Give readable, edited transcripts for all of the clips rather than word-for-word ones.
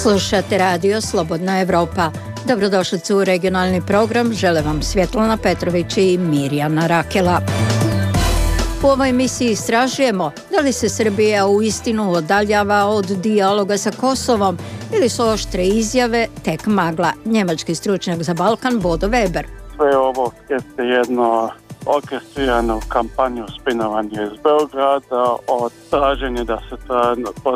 Slušate radio Slobodna Evropa. Dobrodošli u regionalni program. Žele vam Svjetlana Petrović i Mirjana Rakela. U ovoj emisiji istražujemo da li se Srbija uistinu odaljava od dijaloga sa Kosovom ili su oštre izjave tek magla. Njemački stručnjak za Balkan Bodo Weber. Sve ovo jeste jedno orkestriranu kampanju spinovanja iz Beograda, od traženja da se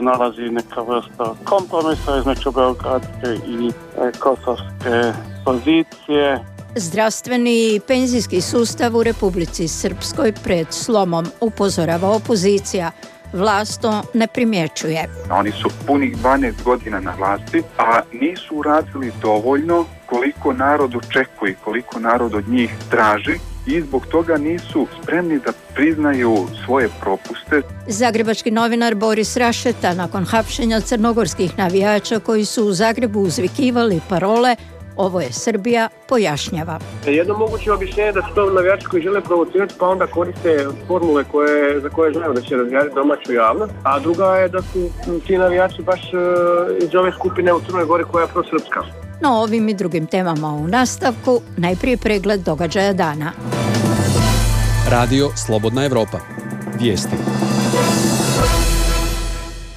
nalazi neka vrsta kompromisa između beogradske i kosovske pozicije. Zdravstveni i penzijski sustav u Republici Srpskoj pred slomom, upozorava opozicija. Vlast to ne primjećuje. Oni su punih 12 godina na vlasti, a nisu uradili dovoljno koliko narod očekuje, koliko narod od njih traži i zbog toga nisu spremni da priznaju svoje propuste. Zagrebački novinar Boris Rašeta nakon hapšenja crnogorskih navijača koji su u Zagrebu uzvikivali parole "Ovo je Srbija", pojašnjava. Jedno moguće objašnjenje da su to navijači koji žele provocirati pa onda koriste formule za koje znaju da će razvijati domaću javnost, a druga je da su ti navijači baš iz ove skupine u Crnoj Gori koja je prosrpska. No ovim i drugim temama u nastavku, najprije pregled događaja dana. Radio Slobodna Evropa. Vijesti.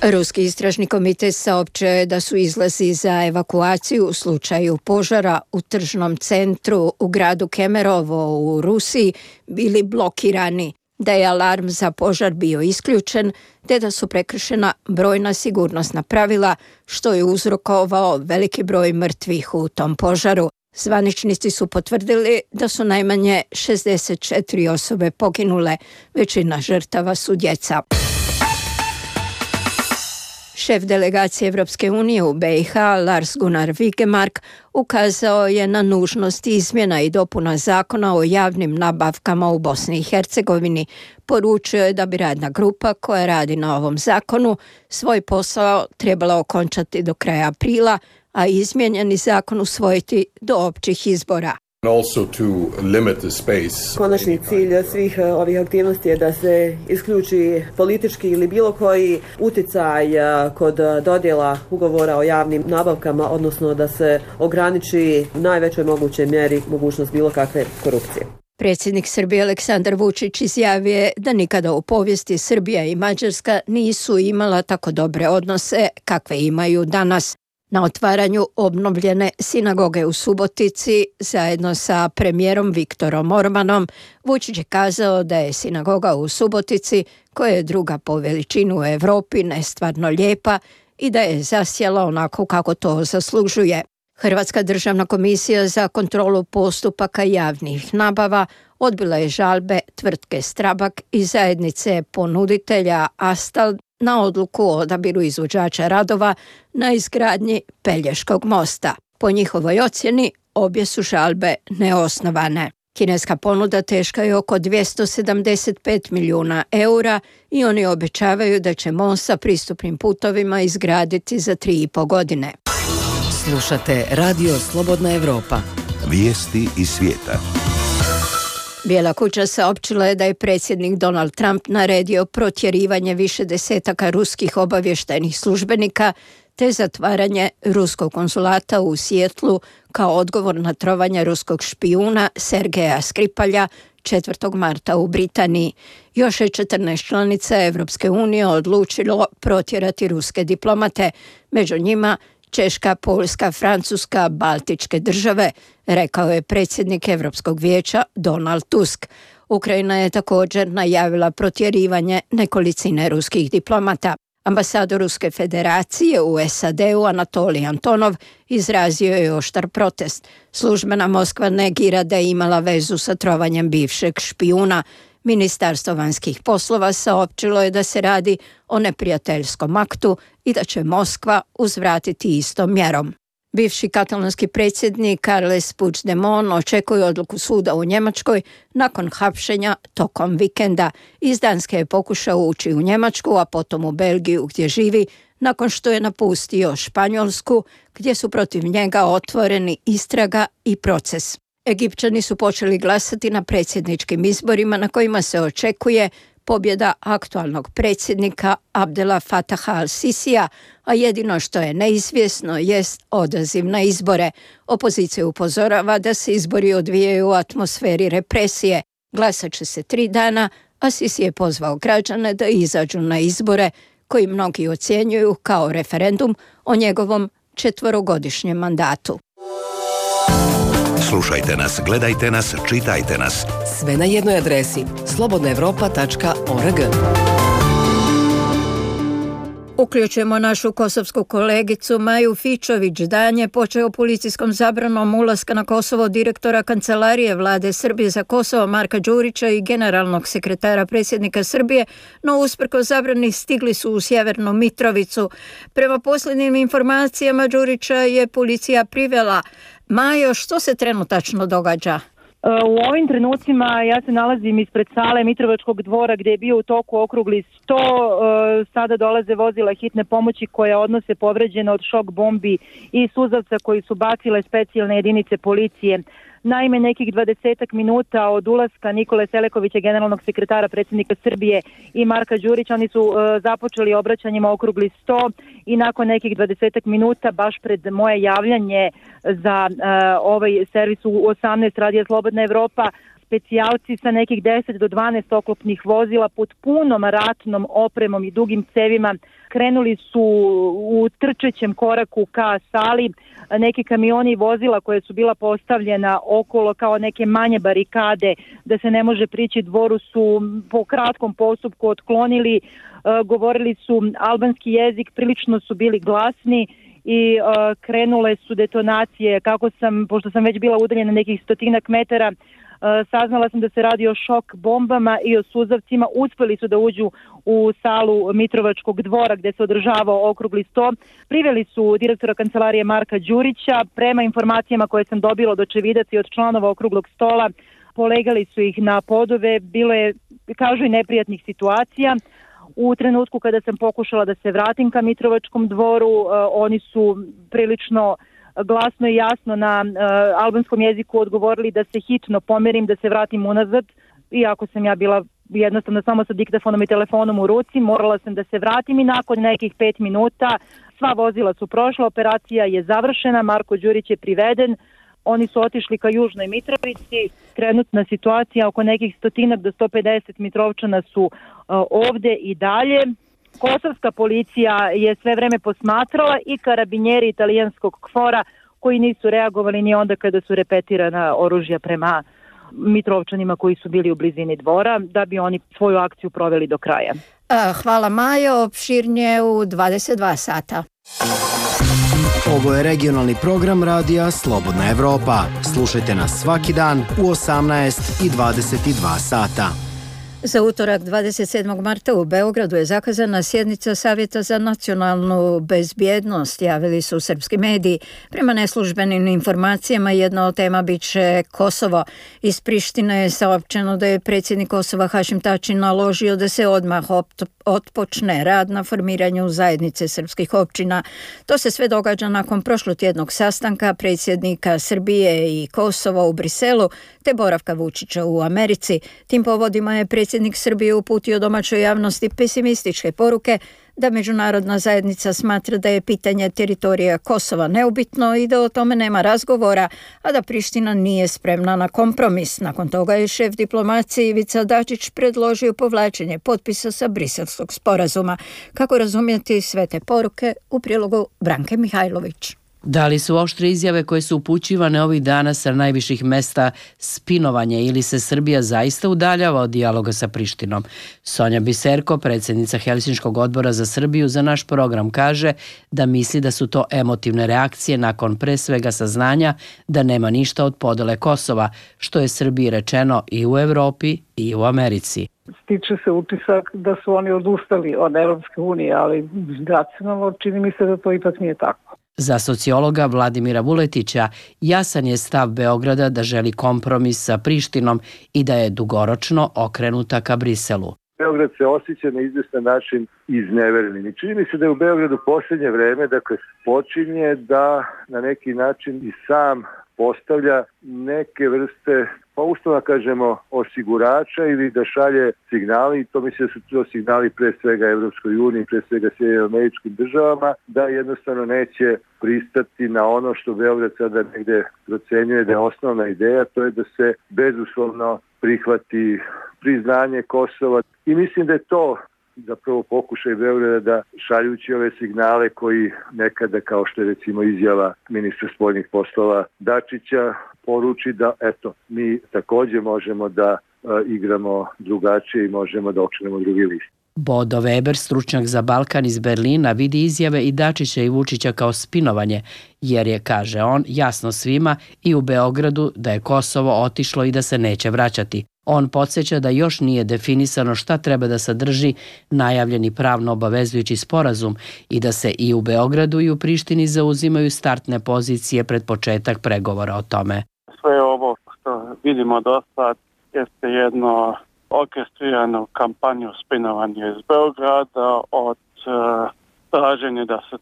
Ruski istražni komitet saopćio je da su izlazi za evakuaciju u slučaju požara u tržnom centru u gradu Kemerovo u Rusiji bili blokirani, da je alarm za požar bio isključen, te da su prekršena brojna sigurnosna pravila, što je uzrokovao veliki broj mrtvih u tom požaru. Zvaničnici su potvrdili da su najmanje 64 osobe poginule, većina žrtava su djeca. Šef delegacije Evropske unije u BiH, Lars Gunnar Vigemark, ukazao je na nužnost izmjena i dopuna zakona o javnim nabavkama u Bosni i Hercegovini. Poručio je da bi radna grupa koja radi na ovom zakonu svoj posao trebala okončati do kraja aprila, a izmijenjeni zakon usvojiti do općih izbora. Konačni cilj svih ovih aktivnosti je da se isključi politički ili bilo koji utjecaj kod dodjela ugovora o javnim nabavkama, odnosno da se ograniči u najvećoj mogućoj mjeri mogućnost bilo kakve korupcije. Predsjednik Srbije Aleksandar Vučić izjavio je da nikada u povijesti Srbija i Mađarska nisu imala tako dobre odnose kakve imaju danas. Na otvaranju obnovljene sinagoge u Subotici zajedno sa premijerom Viktorom Orbanom, Vučić je kazao da je sinagoga u Subotici, koja je druga po veličini u Europi, nestvarno lijepa i da je zasjela onako kako to zaslužuje. Hrvatska državna komisija za kontrolu postupaka javnih nabava odbila je žalbe tvrtke Strabag i zajednice ponuditelja Astal na odluku o odabiru izvođača radova na izgradnji Pelješkog mosta. Po njihovoj ocjeni, obje su žalbe neosnovane. Kineska ponuda teška je oko 275 milijuna eura i oni obećavaju da će most sa pristupnim putovima izgraditi za 3,5 godine. Slušate Radio Slobodna Evropa. Vijesti iz svijeta. Bijela kuća saopćila je da je predsjednik Donald Trump naredio protjerivanje više desetaka ruskih obavještajnih službenika te zatvaranje ruskog konzulata u Sijetlu kao odgovor na trovanje ruskog špijuna Sergeja Skripalja 4. marta u Britaniji. Još je 14 članica Evropske unije odlučilo protjerati ruske diplomate, među njima Češka, Poljska, Francuska, Baltičke države, rekao je predsjednik Europskog vijeća Donald Tusk. Ukrajina je također najavila protjerivanje nekolicine ruskih diplomata. Ambasador Ruske federacije u SAD-u Anatolij Antonov izrazio je oštar protest. Službena Moskva negira da je imala vezu sa trovanjem bivšeg špijuna. Ministarstvo vanjskih poslova saopćilo je da se radi o neprijateljskom aktu i da će Moskva uzvratiti istom mjerom. Bivši katalonski predsjednik Carles Puigdemont očekuje odluku suda u Njemačkoj nakon hapšenja tokom vikenda. Iz Danske je pokušao ući u Njemačku, a potom u Belgiju gdje živi, nakon što je napustio Španjolsku, gdje su protiv njega otvoreni istraga i proces. Egipćani su počeli glasati na predsjedničkim izborima na kojima se očekuje pobjeda aktualnog predsjednika Abdela Fataha al-Sisija, a jedino što je neizvjesno jest odaziv na izbore. Opozicija upozorava da se izbori odvijaju u atmosferi represije. Glasat će se 3 dana, a Sisi je pozvao građane da izađu na izbore, koji mnogi ocjenjuju kao referendum o njegovom 4-godišnjem mandatu. Slušajte nas, gledajte nas, čitajte nas. Sve na jednoj adresi slobodnaevropa.org. Uključujemo našu kosovsku kolegicu Maju Fičović. Dan je počeo policijskom zabranom ulaska na Kosovo direktora Kancelarije Vlade Srbije za Kosovo Marka Đurića i generalnog sekretara predsjednika Srbije, no usprkos zabrani stigli su u Sjevernu Mitrovicu. Prema posljednjim informacijama Đurića je policija privela. Majo, što se trenutačno događa? U ovim trenucima ja se nalazim ispred sale Mitrovačkog dvora gdje je bio u toku okrugli 100. Sada dolaze vozila hitne pomoći koja odnose povređene od šok bombi i suzavca koji su bacile specijalne jedinice policije. Naime, nekih 20 minuta od ulaska Nikole Selekovića, generalnog sekretara predsjednika Srbije, i Marka Đurića, oni su započeli obraćanjima okrugli 100 i nakon nekih 20 minuta, baš pred moje javljanje za ovaj servis u 18 Radija Slobodna Evropa, specijalci sa nekih 10 do 12 oklopnih vozila pod punom ratnom opremom i dugim cevima krenuli su u trčećem koraku ka sali. Neki kamioni i vozila koje su bila postavljena okolo kao neke manje barikade da se ne može prići dvoru su po kratkom postupku otklonili. Govorili su albanski jezik, prilično su bili glasni i krenule su detonacije. Pošto sam već bila udaljena nekih 100 metara, saznala sam da se radi o šok bombama i o suzavcima. Uspjeli su da uđu u salu Mitrovačkog dvora gdje se održavao okrugli 100. Priveli su direktora kancelarije Marka Đurića. Prema informacijama koje sam dobila od očevidaca i od članova okruglog stola, polegali su ih na podove. Bilo je, kažu, i neprijatnih situacija. U trenutku kada sam pokušala da se vratim ka Mitrovačkom dvoru, oni su prilično glasno i jasno na albanskom jeziku odgovorili da se hitno pomerim, da se vratim unazad. Iako sam ja bila jednostavno samo sa diktafonom i telefonom u ruci, morala sam da se vratim i nakon nekih 5 minuta sva vozila su prošla, operacija je završena, Marko Đurić je priveden. Oni su otišli ka Južnoj Mitrovici. Trenutna situacija, oko nekih 100 do 150 Mitrovčana su ovde i dalje. Kosovska policija je sve vreme posmatrala i karabinjeri italijanskog KFOR-a koji nisu reagovali ni onda kada su repetirana oružja prema Mitrovčanima koji su bili u blizini dvora, da bi oni svoju akciju proveli do kraja. Hvala Majo, opširnije u 22 sata. Ovo je regionalni program radija Slobodna Evropa. Slušajte nas svaki dan u 18 i 22 sata. Za utorak 27. marta u Beogradu je zakazana sjednica Savjeta za nacionalnu bezbjednost, javili su srpski mediji. Prema neslužbenim informacijama jedna od tema bit će Kosovo. Iz Prištine je saopćeno da je predsjednik Kosova Hašim Tači naložio da se odmah otpočne rad na formiranju zajednice srpskih općina. To se sve događa nakon prošlotjednog sastanka predsjednika Srbije i Kosova u Briselu te boravka Vučića u Americi. Tim povodima je predsjednik Srbije uputio domaćoj javnosti pesimističke poruke da međunarodna zajednica smatra da je pitanje teritorija Kosova neubitno i da o tome nema razgovora, a da Priština nije spremna na kompromis. Nakon toga je šef diplomacije Ivica Dačić predložio povlačenje potpisa sa Briselskog sporazuma. Kako razumjeti sve te poruke u prilogu Branke Mihajlović? Da li su oštre izjave koje su upućivane ovih dana sa najviših mesta spinovanje ili se Srbija zaista udaljava od dijaloga sa Prištinom? Sonja Biserko, predsjednica Helsinškog odbora za Srbiju, za naš program kaže da misli da su to emotivne reakcije nakon pre svega saznanja da nema ništa od podele Kosova, što je Srbiji rečeno i u Evropi i u Americi. Stiče se utisak da su oni odustali od Evropske unije, ali racionalno čini mi se da to ipak nije tako. Za sociologa Vladimira Vuletića jasan je stav Beograda da želi kompromis sa Prištinom i da je dugoročno okrenuta ka Briselu. Beograd se osjeća na izvestan način izneverenim i čini mi se da je u Beogradu posljednje vreme, počinje da na neki način i sam postavlja neke vrste, pa uslovno kažemo, osigurača ili da šalje signali, i to mislim da su to signali pre svega Evropskoj uniji, pre svega Sjedinjenim Američkim Državama, da jednostavno neće pristati na ono što Beograd sada negde procenjuje da je osnovna ideja, to je da se bezuslovno prihvati priznanje Kosova. I mislim da je to zapravo pokušaj Beograda da šaljući ove signale koji nekada, kao što je recimo izjava ministra spoljnih poslova Dačića, poruči da eto, mi također možemo da igramo drugačije i možemo da okrenemo drugi list. Bodo Weber, stručnjak za Balkan iz Berlina, vidi izjave i Dačića i Vučića kao spinovanje, jer je, kaže on, jasno svima i u Beogradu da je Kosovo otišlo i da se neće vraćati. On podsjeća da još nije definisano šta treba da sadrži najavljeni pravno obavezujući sporazum i da se i u Beogradu i u Prištini zauzimaju startne pozicije pred početak pregovora o tome. Sve ovo što vidimo do sad jeste jedno orkestrirano kampanju spinovanja iz Beograda od traženja da se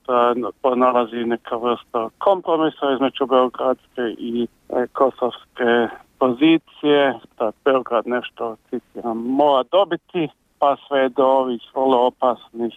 pronalazi neka vrsta kompromisa između beogradske i kosovske pozicije, da Beograd nešto, citiram, mora dobiti, pa sve do ovih vrlo opasnih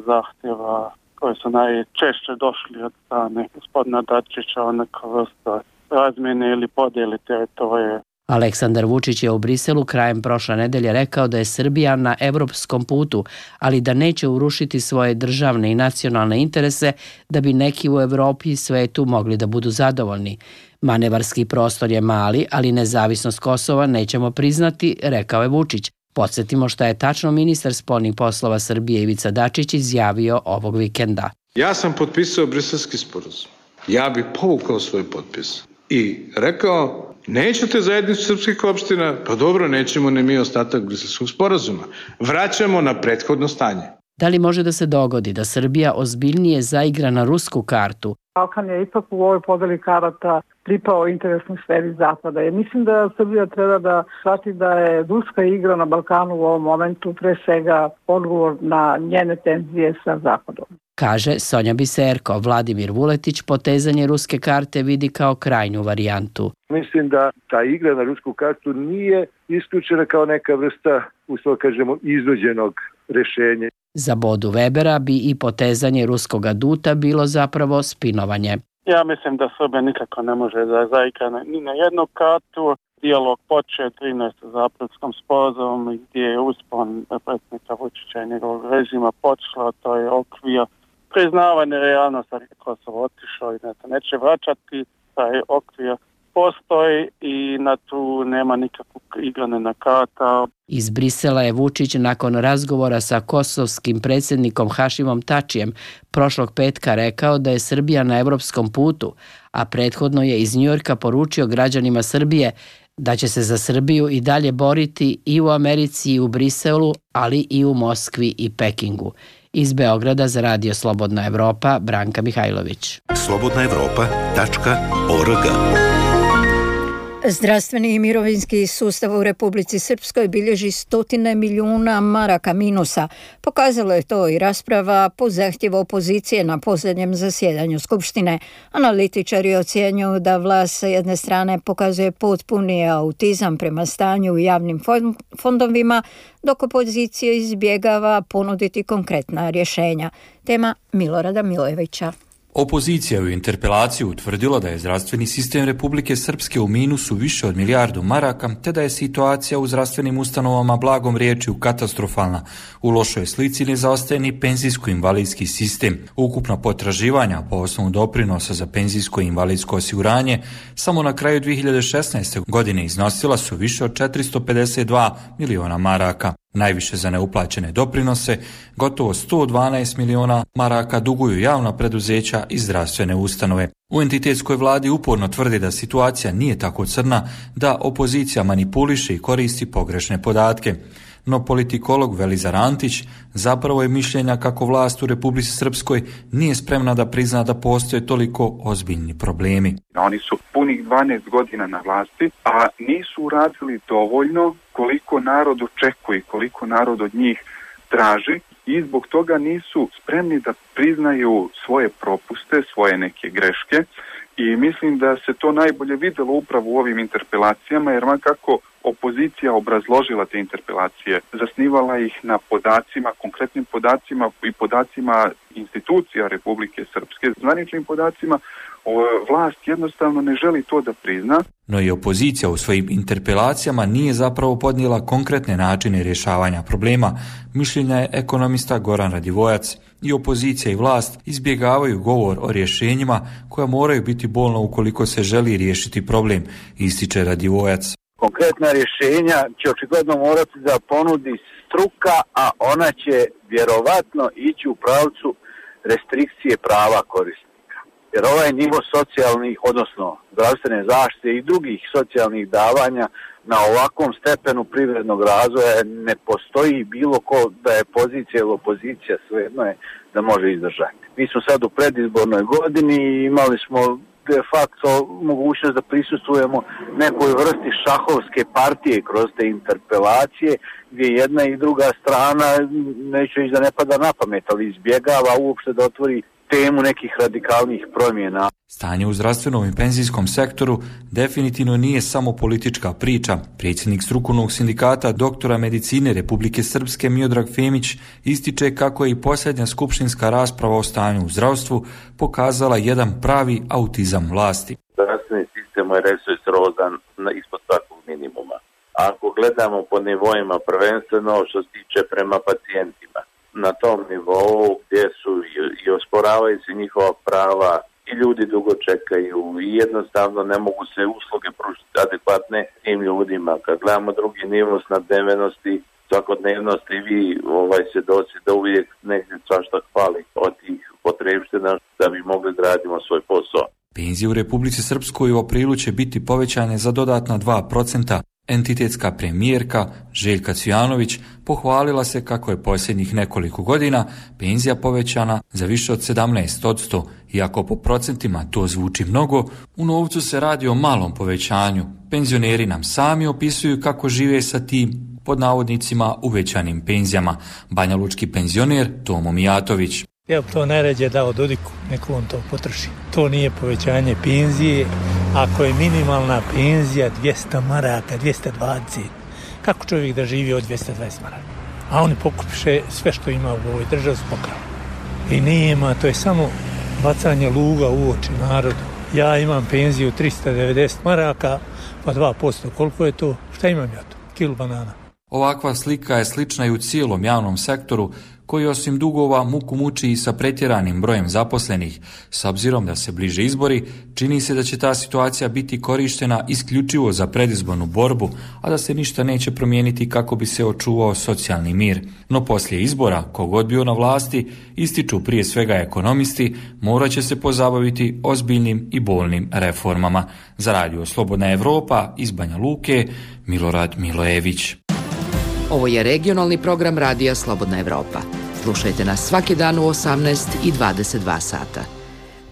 zahtjeva koji su najčešće došli od strane gospodina Dačića o neka vrsta razmjene ili podjeli teritorije. Aleksandar Vučić je u Briselu krajem prošle nedelje rekao da je Srbija na evropskom putu, ali da neće urušiti svoje državne i nacionalne interese da bi neki u Evropi i svetu mogli da budu zadovoljni. Manevarski prostor je mali, ali nezavisnost Kosova nećemo priznati, rekao je Vučić. Podsjetimo šta je tačno ministar spoljnih poslova Srbije Ivica Dačić izjavio ovog vikenda. Ja sam potpisao Briselski sporazum. Ja bih povukao svoj potpis i rekao: nećete zajednicu srpskih opština? Pa dobro, nećemo ni mi ostatak Briselskog sporazuma. Vraćamo na prethodno stanje. Da li može da se dogodi da Srbija ozbiljnije zaigra na rusku kartu? Balkan je ipak u ovoj podeli karata pripao interesnoj sferi Zapada. Jer mislim da Srbija treba da shvati da je ruska igra na Balkanu u ovom momentu pre svega odgovor na njene tenzije sa Zapadom. Kaže Sonja Biserko. Vladimir Vuletić potezanje ruske karte vidi kao krajnju varijantu. Mislim da ta igra na rusku kartu nije isključena kao neka vrsta, uslov kažemo, izuđenog rešenja. Za Bodu Webera bi i potezanje ruskog aduta bilo zapravo spinovanje. Ja mislim da Srbija nikako ne može da zaigra ni na jednu kartu. Dijalog počeo 13. za aprilskom sporazumom gdje je uspon predsjednika Vučića i njegovog režima počelo, to je okvir priznavanje realnosti da Kosovo otišao i da se neće vraćati. Taj okvir postoji i na tu nema nikakvog igrane na karta. Iz Brisela je Vučić nakon razgovora sa kosovskim predsjednikom Hašimom Tačijem prošlog petka rekao da je Srbija na evropskom putu, a prethodno je iz Njujorka poručio građanima Srbije da će se za Srbiju i dalje boriti i u Americi i u Briselu, ali i u Moskvi i Pekingu. Iz Beograda za Radio Slobodna Evropa, Branka Mihajlović. slobodnaevropa.org. Zdravstveni i mirovinski sustav u Republici Srpskoj bilježi stotine milijuna maraka minusa. Pokazalo je to i rasprava po zahtjevu opozicije na posljednjem zasjedanju Skupštine. Analitičari ocjenjuju da vlast sa jedne strane pokazuje potpuni autizam prema stanju u javnim fondovima, dok opozicija izbjegava ponuditi konkretna rješenja. Tema Milorada Milojevića. Opozicija je u interpelaciji utvrdila da je zdravstveni sistem Republike Srpske u minusu više od milijardu maraka, te da je situacija u zdravstvenim ustanovama blagom riječju katastrofalna. U lošoj slici ne zaostaje ni penzijsko-invalidski sistem. Ukupna potraživanja po osnovu doprinosa za penzijsko i invalidsko osiguranje samo na kraju 2016. godine iznosila su više od 452 miliona maraka. Najviše za neuplaćene doprinose, gotovo 112 miliona maraka duguju javna preduzeća i zdravstvene ustanove. U entitetskoj vladi uporno tvrdi da situacija nije tako crna, da opozicija manipuliše i koristi pogrešne podatke. No politikolog Velizar Antić zapravo je mišljenja kako vlast u Republici Srpskoj nije spremna da prizna da postoje toliko ozbiljni problemi. Oni su punih 12 godina na vlasti, a nisu uradili dovoljno koliko narod očekuje, koliko narod od njih traži i zbog toga nisu spremni da priznaju svoje propuste, svoje neke greške I mislim da se to najbolje videlo upravo u ovim interpelacijama, jer kako opozicija obrazložila te interpelacije, zasnivala ih na podacima, konkretnim podacima i podacima institucija Republike Srpske, zvaničnim podacima, vlast jednostavno ne želi to da prizna. No i opozicija u svojim interpelacijama nije zapravo podnijela konkretne načine rješavanja problema. Mišljenja je ekonomista Goran Radivojac. I opozicija i vlast izbjegavaju govor o rješenjima koja moraju biti bolna ukoliko se želi riješiti problem, ističe Radivojac. Konkretna rješenja će očigledno morati da ponudi struka, a ona će vjerovatno ići u pravcu restrikcije prava korisnika. Jer ovaj nivo socijalnih, odnosno zdravstvene zaštite i drugih socijalnih davanja na ovakvom stepenu privrednog razvoja ne postoji bilo ko da je pozicija ili opozicija, svejedno je da može izdržati. Mi smo sad u predizbornoj godini i imali smo de facto mogućnost da prisustvujemo nekoj vrsti šahovske partije kroz te interpelacije, gdje jedna i druga strana, neću reći da ne pada na pamet, ali izbjegava uopšte da otvori temu nekih radikalnih promjena. Stanje u zdravstvenom i penzijskom sektoru definitivno nije samo politička priča. Predsjednik strukovnog sindikata doktora medicine Republike Srpske Miodrag Femić ističe kako je i posljednja skupštinska rasprava o stanju u zdravstvu pokazala jedan pravi autizam vlasti. Zdravstveni sistem je resursrodan ispod svakog minimuma. Ako gledamo po nivoima, prvenstveno što se tiče prema pacijentima, na tom nivou gdje su i osporavaju se njihova prava i ljudi dugo čekaju i jednostavno ne mogu se usluge pružiti adekvatne tim ljudima. Kad gledamo drugi nivo snabdevenosti, svakodnevnosti, vi svjedoci da uvijek negdje svašta hvali od tih potrebština da bi mogli da radimo svoj posao. Penzije u Republici Srpskoj u aprilu će biti povećane za dodatna 2%. Entitetska premijerka Željka Cvijanović pohvalila se kako je posljednjih nekoliko godina penzija povećana za više od 17%. Iako po procentima to zvuči mnogo, u novcu se radi o malom povećanju. Penzioneri nam sami opisuju kako žive sa tim, pod navodnicima, uvećanim penzijama. Banjalučki penzioner Tomo Mijatović. Ja bi to najrađe dao Dodiku, neko on to potroši. To nije povećanje penzije. Ako je minimalna penzija 200 maraka, 220, kako čovjek da živi od 220 maraka? A oni pokupiše sve što ima u ovoj državi s pokravom. I nema, to je samo bacanje luga u oči narodu. Ja imam penziju 390 maraka, pa 2%, koliko je to? Šta imam ja to? Kilu banana. Ovakva slika je slična i u cijelom javnom sektoru, koji osim dugova muku muči i sa pretjeranim brojem zaposlenih. S obzirom da se bliže izbori, čini se da će ta situacija biti korištena isključivo za predizbornu borbu, a da se ništa neće promijeniti kako bi se očuvao socijalni mir. No poslije izbora, kogod bio na vlasti, ističu prije svega ekonomisti, morat će se pozabaviti ozbiljnim i bolnim reformama. Za Radio Slobodna Evropa iz Banja Luke, Milorad Milojević. Ovo je regionalni program Radija Slobodna Evropa. Slušajte nas svaki dan u 18 i 22 sata.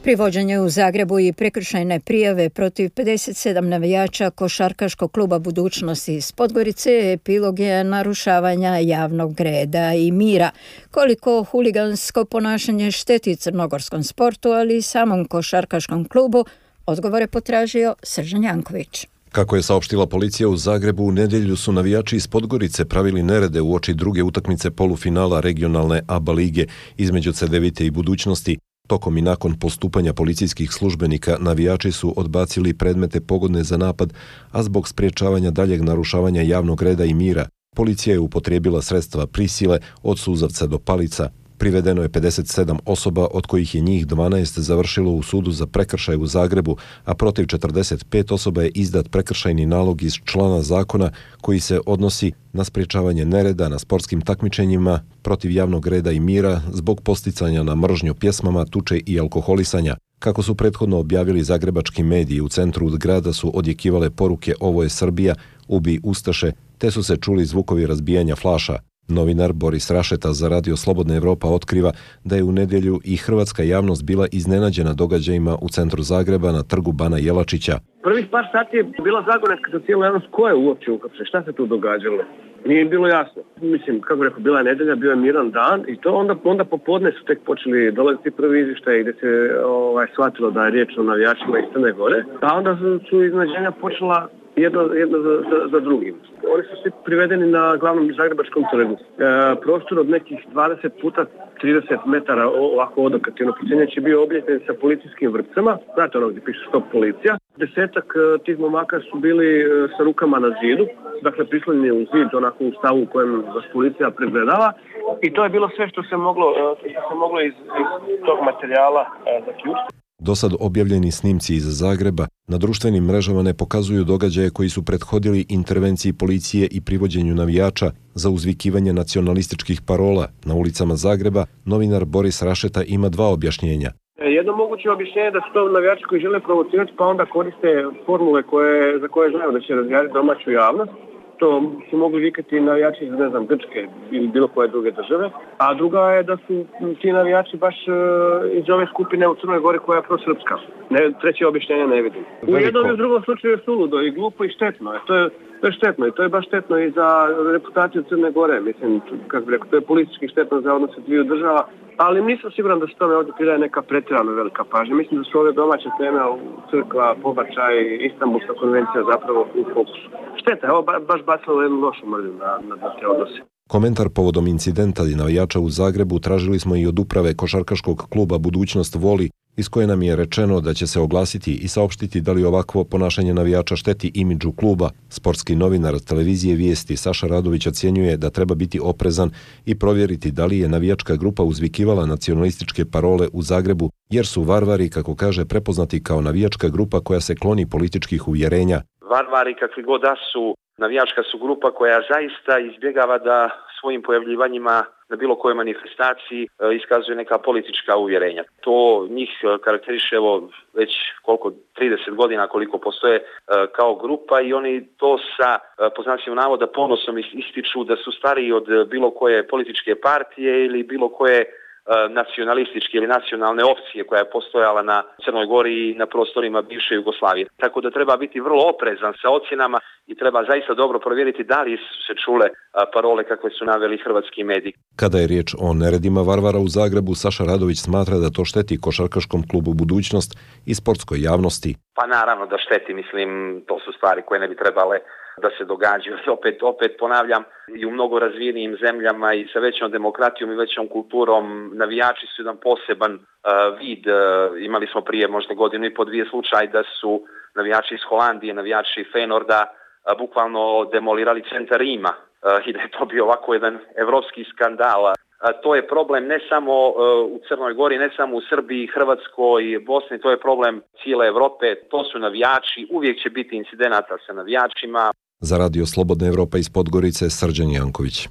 Privođenje u Zagrebu i prekršajne prijave protiv 57 navijača košarkaškog kluba Budućnosti iz Podgorice epilog je narušavanja javnog reda i mira. Koliko huligansko ponašanje šteti crnogorskom sportu, ali i samom košarkaškom klubu, odgovore potražio Sržan Janković. Kako je saopštila policija u Zagrebu, u nedjelju su navijači iz Podgorice pravili nerede uoči druge utakmice polufinala regionalne ABA lige između Cedevite i Budućnosti. Tokom i nakon postupanja policijskih službenika navijači su odbacili predmete pogodne za napad, a zbog spriječavanja daljeg narušavanja javnog reda i mira, policija je upotrijebila sredstva prisile od suzavca do palica. Privedeno je 57 osoba, od kojih je njih 12 završilo u sudu za prekršaj u Zagrebu, a protiv 45 osoba je izdat prekršajni nalog iz člana zakona koji se odnosi na sprječavanje nereda na sportskim takmičenjima protiv javnog reda i mira zbog posticanja na mržnju pjesmama, tuče i alkoholisanja. Kako su prethodno objavili zagrebački mediji, u centru grada su odjekivale poruke "Ovo je Srbija, ubi Ustaše", te su se čuli zvukovi razbijanja flaša. Novinar Boris Rašeta za Radio Slobodna Evropa otkriva da je u nedjelju i hrvatska javnost bila iznenađena događajima u centru Zagreba na trgu Bana Jelačića. Prvih par sati je bila zagonetka za cijelu javnost. Ko je uopće uhapšen? Šta se tu događalo? Nije im bilo jasno. Mislim, kako rekao, bila je nedelja, bio je miran dan i to onda popodne su tek počeli dolaziti prvi izvještaji gdje se shvatilo da je riječ o navijačima iz Crne Gore, a onda su iznenađenja počela jedno za drugim. Oni su svi privedeni na glavnom Zagrebačkom trgu. Prostor od nekih 20 puta 30 metara ovako odokativno procjenjač je bio obljepljen sa policijskim vrpcama. Znate ono gdje piše stop policija. 10 tih momaka su bili sa rukama na zidu, dakle prislonjeni u zid onako u stavu u kojem vas policija pregledava. I to je bilo sve što se moglo iz tog materijala zaključiti. Dosad objavljeni snimci iz Zagreba na društvenim mrežama ne pokazuju događaje koji su prethodili intervenciji policije i privođenju navijača za uzvikivanje nacionalističkih parola. Na ulicama Zagreba novinar Boris Rašeta ima dva objašnjenja. Jedno moguće objašnjenje da su to navijači koji žele provocirati pa onda koriste formule za koje znaju da će razjariti domaću javnost. To su mogli vikati navijači iz, ne znam, Grčke ili bilo koje druge države. A druga je da su ti navijači baš iz ove skupine u Crnoj Gori koja je prosrpska. Treće objašnjenje ne vidim. U jednom i u drugom slučaju je suludo i glupo i štetno. To je štetno i to je baš štetno i za reputaciju Crne Gore. Mislim, kako bih rekao, to je politički štetno za odnose dviju država. Ali nisam siguran da se tome ovdje pridaje neka pretjerano velika pažnja. Mislim da su ove domaće teme, crkva, pobačaj, Istanbulska konvencija zapravo u fokusu. Šteta je, ovo baš bacilo jednu lošu mrlju na te odnose. Komentar povodom incidenta i navijača u Zagrebu tražili smo i od uprave košarkaškog kluba Budućnost Voli, iz koje nam je rečeno da će se oglasiti i saopštiti da li ovakvo ponašanje navijača šteti imidžu kluba. Sportski novinar televizije Vijesti Saša Radović ocjenjuje da treba biti oprezan i provjeriti da li je navijačka grupa uzvikivala nacionalističke parole u Zagrebu, jer su Varvari, kako kaže, prepoznati kao navijačka grupa koja se kloni političkih uvjerenja. Varvari, kakvi god da su, navijačka su grupa koja zaista izbjegava da svojim pojavljivanjima na bilo kojoj manifestaciji iskazuje neka politička uvjerenja. To njih karakteriše već 30 godina koliko postoje kao grupa i oni to sa, po znacima navoda, ponosom ističu da su stariji od bilo koje političke partije ili bilo koje nacionalističke ili nacionalne opcije koja je postojala na Crnoj Gori i na prostorima bivše Jugoslavije. Tako da treba biti vrlo oprezan sa ocjenama i treba zaista dobro provjeriti da li su se čule parole kakve su naveli hrvatski mediji. Kada je riječ o neredima Varvara u Zagrebu, Saša Radović smatra da to šteti košarkaškom klubu Budućnost i sportskoj javnosti. Pa naravno da šteti, mislim, to su stvari koje ne bi trebale da se događaju. Opet ponavljam, i u mnogo razvijenijim zemljama i sa većom demokratijom i većom kulturom navijači su jedan poseban vid. Imali smo prije možda godinu i po dvije slučaj da su navijači iz Holandije, navijači Feynorda bukvalno demolirali centar Rima i da je to bio ovako jedan evropski skandal. To je problem ne samo u Crnoj Gori, ne samo u Srbiji, Hrvatskoj, Bosni, to je problem cijele Evrope. To su navijači, uvijek će biti incidenata sa navijačima. Za Radio Slobodna Evropa iz Podgorice, Srđan Janković.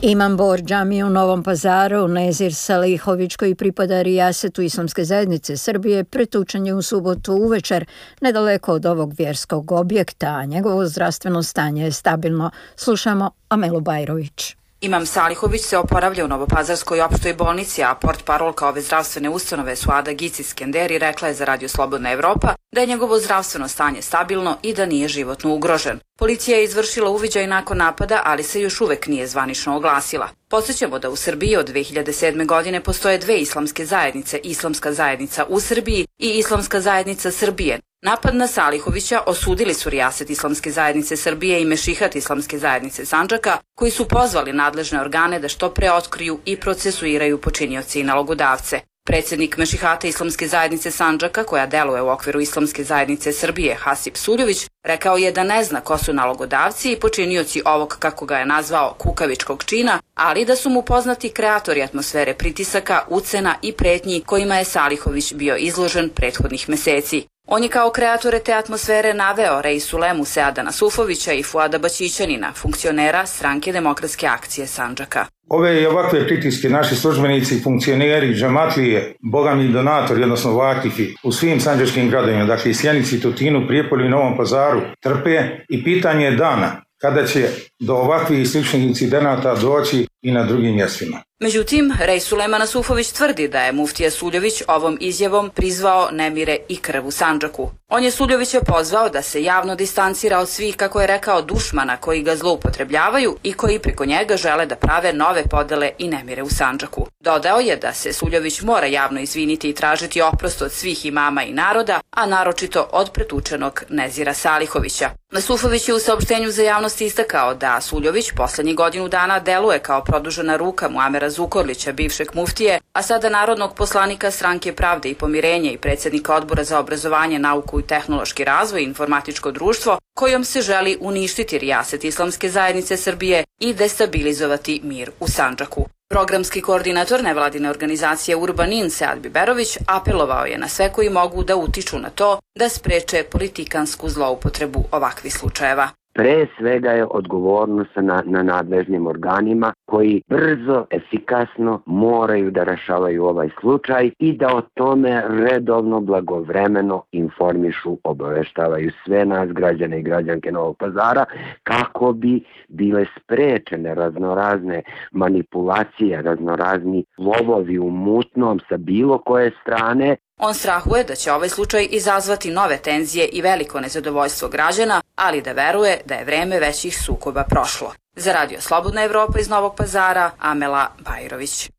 Imam Bor džamije u Novom Pazaru, Nezir Salihović, koji pripada rijasetu Islamske zajednice Srbije, pretučen je u subotu uvečer nedaleko od ovog vjerskog objekta, a njegovo zdravstveno stanje je stabilno. Slušamo Amelu Bajrović. Imam Salihović se oporavlja u Novopazarskoj opštoj bolnici, a portparolka ove zdravstvene ustanove Suada Gicis-Kenderi rekla je za Radio Slobodna Evropa da je njegovo zdravstveno stanje stabilno i da nije životno ugrožen. Policija je izvršila uviđaj nakon napada, ali se još uvek nije zvanično oglasila. Podsjećamo da u Srbiji od 2007. godine postoje dve islamske zajednice, Islamska zajednica u Srbiji i Islamska zajednica Srbije. Napad na Salihovića osudili su rijaset Islamske zajednice Srbije i Mešihat Islamske zajednice Sandžaka, koji su pozvali nadležne organe da što pre otkriju i procesuiraju počinioce i nalogodavce. Predsjednik Mešihata Islamske zajednice Sandžaka, koja deluje u okviru Islamske zajednice Srbije, Hasip Suljović, rekao je da ne zna ko su nalogodavci i počinioci ovog, kako ga je nazvao, kukavičkog čina, ali da su mu poznati kreatori atmosfere pritisaka, ucena i pretnji kojima je Salihović bio izložen prethodnih meseci. On je kao kreatore te atmosfere naveo Reisulemu Seada Nasufovića i Fuada Baćićanina, funkcionera Stranke demokratske akcije Sandžaka. Ove i ovakve pritiske naši službenici, funkcioneri, džamatlije, bogami donatori, odnosno vakifi u svim sandžačkim gradovima, dakle i Sjenici, Tutinu, Prijepolju i Novom Pazaru, trpe i pitanje je dana kada će do ovakvih i sličnih incidenata doći i na drugim mjestima. Međutim, Rej Sulejman Asufović tvrdi da je muftija Suljović ovom izjavom prizvao nemire i krv u Sandžaku. On je Suljovića pozvao da se javno distancira od svih, kako je rekao, dušmana koji ga zloupotrebljavaju i koji preko njega žele da prave nove podele i nemire u Sandžaku. Dodao je da se Suljović mora javno izviniti i tražiti oprost od svih imama i naroda, a naročito od pretučenog Nezira Salihovića. Asufović je u saopštenju za javnost istakao da Suljović poslednjih godinu dana deluje kao produžena ruka Muamera Zukorlića, bivšeg muftije, a sada narodnog poslanika Stranke pravde i pomirenja i predsjednika Odbora za obrazovanje, nauku i tehnološki razvoj i informatičko društvo, kojom se želi uništiti rijaset Islamske zajednice Srbije i destabilizovati mir u Sandžaku. Programski koordinator nevladine organizacije Urbanin Sead Biberović apelovao je na sve koji mogu da utiču na to da spreče politikansku zloupotrebu ovakvih slučajeva. Pre svega je odgovornost na nadležnim organima koji brzo, efikasno moraju da rešavaju ovaj slučaj i da o tome redovno, blagovremeno informišu, obaveštavaju sve nas, građane i građanke Novog Pazara, kako bi bile sprečene raznorazne manipulacije, raznorazni lovovi u mutnom sa bilo koje strane. On strahuje da će ovaj slučaj izazvati nove tenzije i veliko nezadovoljstvo građana, ali da veruje da je vreme većih sukoba prošlo. Za Radio Slobodna Evropa iz Novog Pazara, Amela Bajrović.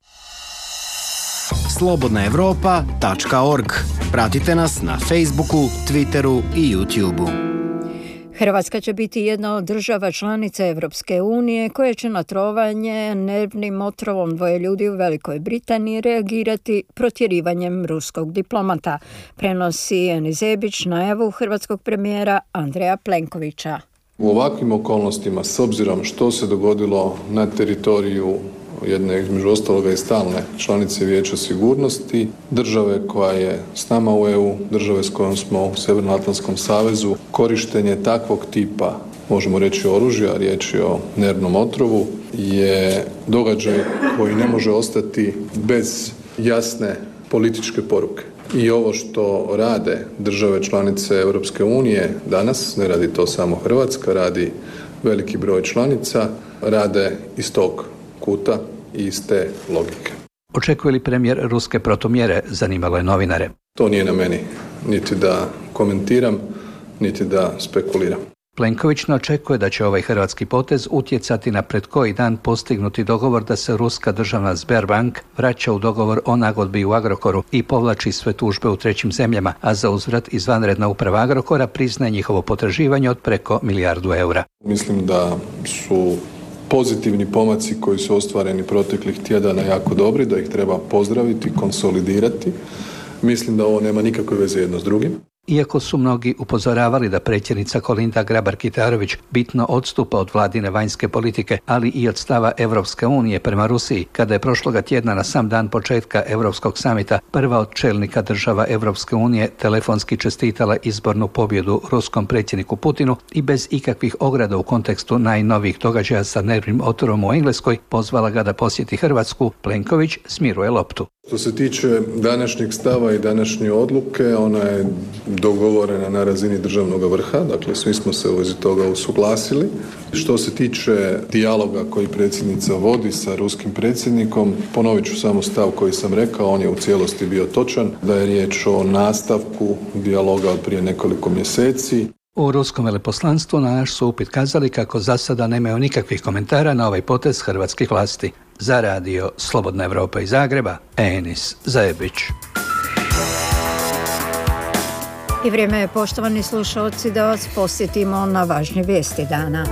slobodnaevropa.org. Pratite nas na Facebooku, Twitteru i YouTubeu. Hrvatska će biti jedna od država članica Evropske unije koje će na trovanje nervnim otrovom dvoje ljudi u Velikoj Britaniji reagirati protjerivanjem ruskog diplomata, prenosi Eni Zebić najavu hrvatskog premijera Andreja Plenkovića. U ovakvim okolnostima, s obzirom što se dogodilo na teritoriju jedne, između ostaloga i stalne članice Vijeća sigurnosti, države koja je s nama u EU, države s kojom smo u Sjevernoatlantskom savezu, korištenje takvog tipa, možemo reći oružja, riječ je o nervnom otrovu, je događaj koji ne može ostati bez jasne političke poruke. I ovo što rade države članice Europske unije danas, ne radi to samo Hrvatska, radi veliki broj članica, rade iz tog kuta i iz te logike. Očekuje li premijer ruske protumjere, zanimalo je novinare. To nije na meni, niti da komentiram, niti da spekuliram. Plenković ne očekuje da će ovaj hrvatski potez utjecati na pred koji dan postignuti dogovor da se ruska državna Sberbank vraća u dogovor o nagodbi u Agrokoru i povlači sve tužbe u trećim zemljama, a za uzvrat izvanredna uprava Agrokora priznaje njihovo potraživanje od preko milijardu eura. Mislim da su pozitivni pomaci koji su ostvareni proteklih tjedana jako dobri, da ih treba pozdraviti, konsolidirati. Mislim da ovo nema nikakve veze jedno s drugim. Iako su mnogi upozoravali da predsjednica Kolinda Grabar-Kitarović bitno odstupa od vladine vanjske politike, ali i od stava Evropske unije prema Rusiji, kada je prošloga tjedna na sam dan početka Europskog samita prva od čelnika država Evropske unije telefonski čestitala izbornu pobjedu ruskom predsjedniku Putinu i bez ikakvih ograda u kontekstu najnovijih događaja sa nervnim otrovom u Engleskoj pozvala ga da posjeti Hrvatsku, Plenković smiruje loptu. Što se tiče današnjeg stava i današnje odluke, ona je dogovorena na razini državnog vrha, dakle svi smo se u vezi toga usuglasili. Što se tiče dijaloga koji predsjednica vodi sa ruskim predsjednikom, ponovit ću samo stav koji sam rekao, on je u cijelosti bio točan, da je riječ o nastavku dijaloga od prije nekoliko mjeseci. U ruskom veleposlanstvu na naš su upit kazali kako za sada nemaju nikakvih komentara na ovaj potez hrvatskih vlasti. Za radio Slobodna Evropa iz Zagreba, Enis Zajebić. I vrijeme je, poštovani slušalci, da vas posjetimo na važnje vijesti dana.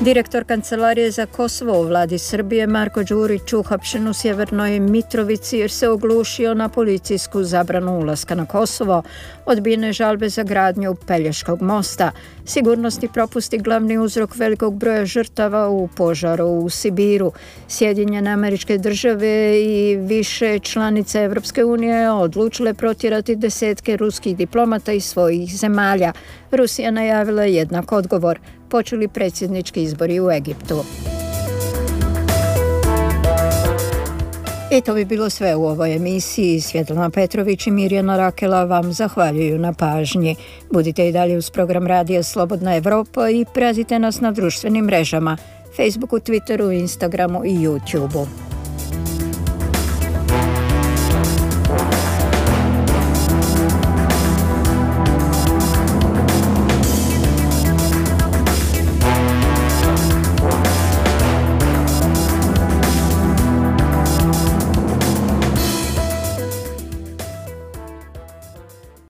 Direktor Kancelarije za Kosovo u vladi Srbije Marko Đurić uhapšen u Sjevernoj Mitrovici jer se oglušio na policijsku zabranu ulaska na Kosovo, odbijene žalbe za gradnju Pelješkog mosta, sigurnosni propusti glavni uzrok velikog broja žrtava u požaru u Sibiru. Sjedinjene Američke Države i više članice Evropske unije odlučile protjerati desetke ruskih diplomata iz svojih zemalja. Rusija najavila jednak odgovor. Počeli predsjednički izbori u Egiptu. I to bi bilo sve u ovoj emisiji. Svjetlana Petrović i Mirjana Rakela vam zahvaljuju na pažnji. Budite i dalje uz program Radija Slobodna Evropa i pratite nas na društvenim mrežama. Facebooku, Twitteru, Instagramu i YouTubeu.